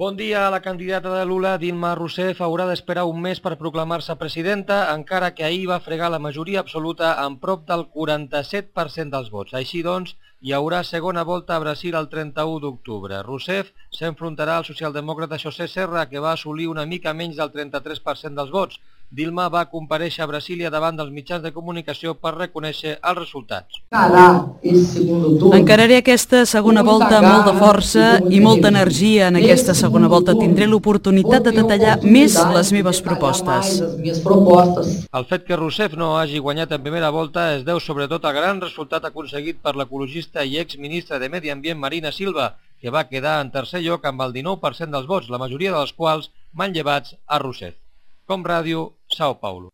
Bon dia. La candidata de Lula, Dilma Rousseff, haurà d'esperar un mes per proclamar-se presidenta, encara que ahir va fregar la majoria absoluta amb prop del 47% dels vots. Així doncs, hi haurà segona volta a Brasil el 31 d'octubre. Rousseff s'enfrontarà al socialdemòcrata José Serra, que va assolir una mica menys del 33% dels vots. Dilma va comparèixer a Brasília davant dels mitjans de comunicació per reconèixer els resultats. Encararé aquesta segona volta amb molta força i molta energia. En aquesta segona volta tindré l'oportunitat de detallar més les meves propostes. El fet que Rousseff no hagi guanyat en primera volta es deu sobretot al gran resultat aconseguit per l'ecologista i exministra de Medi Ambient Marina Silva, que va quedar en tercer lloc amb el 19% dels vots, la majoria dels quals manllevats a Rousseff. Com Ràdio, São Paulo.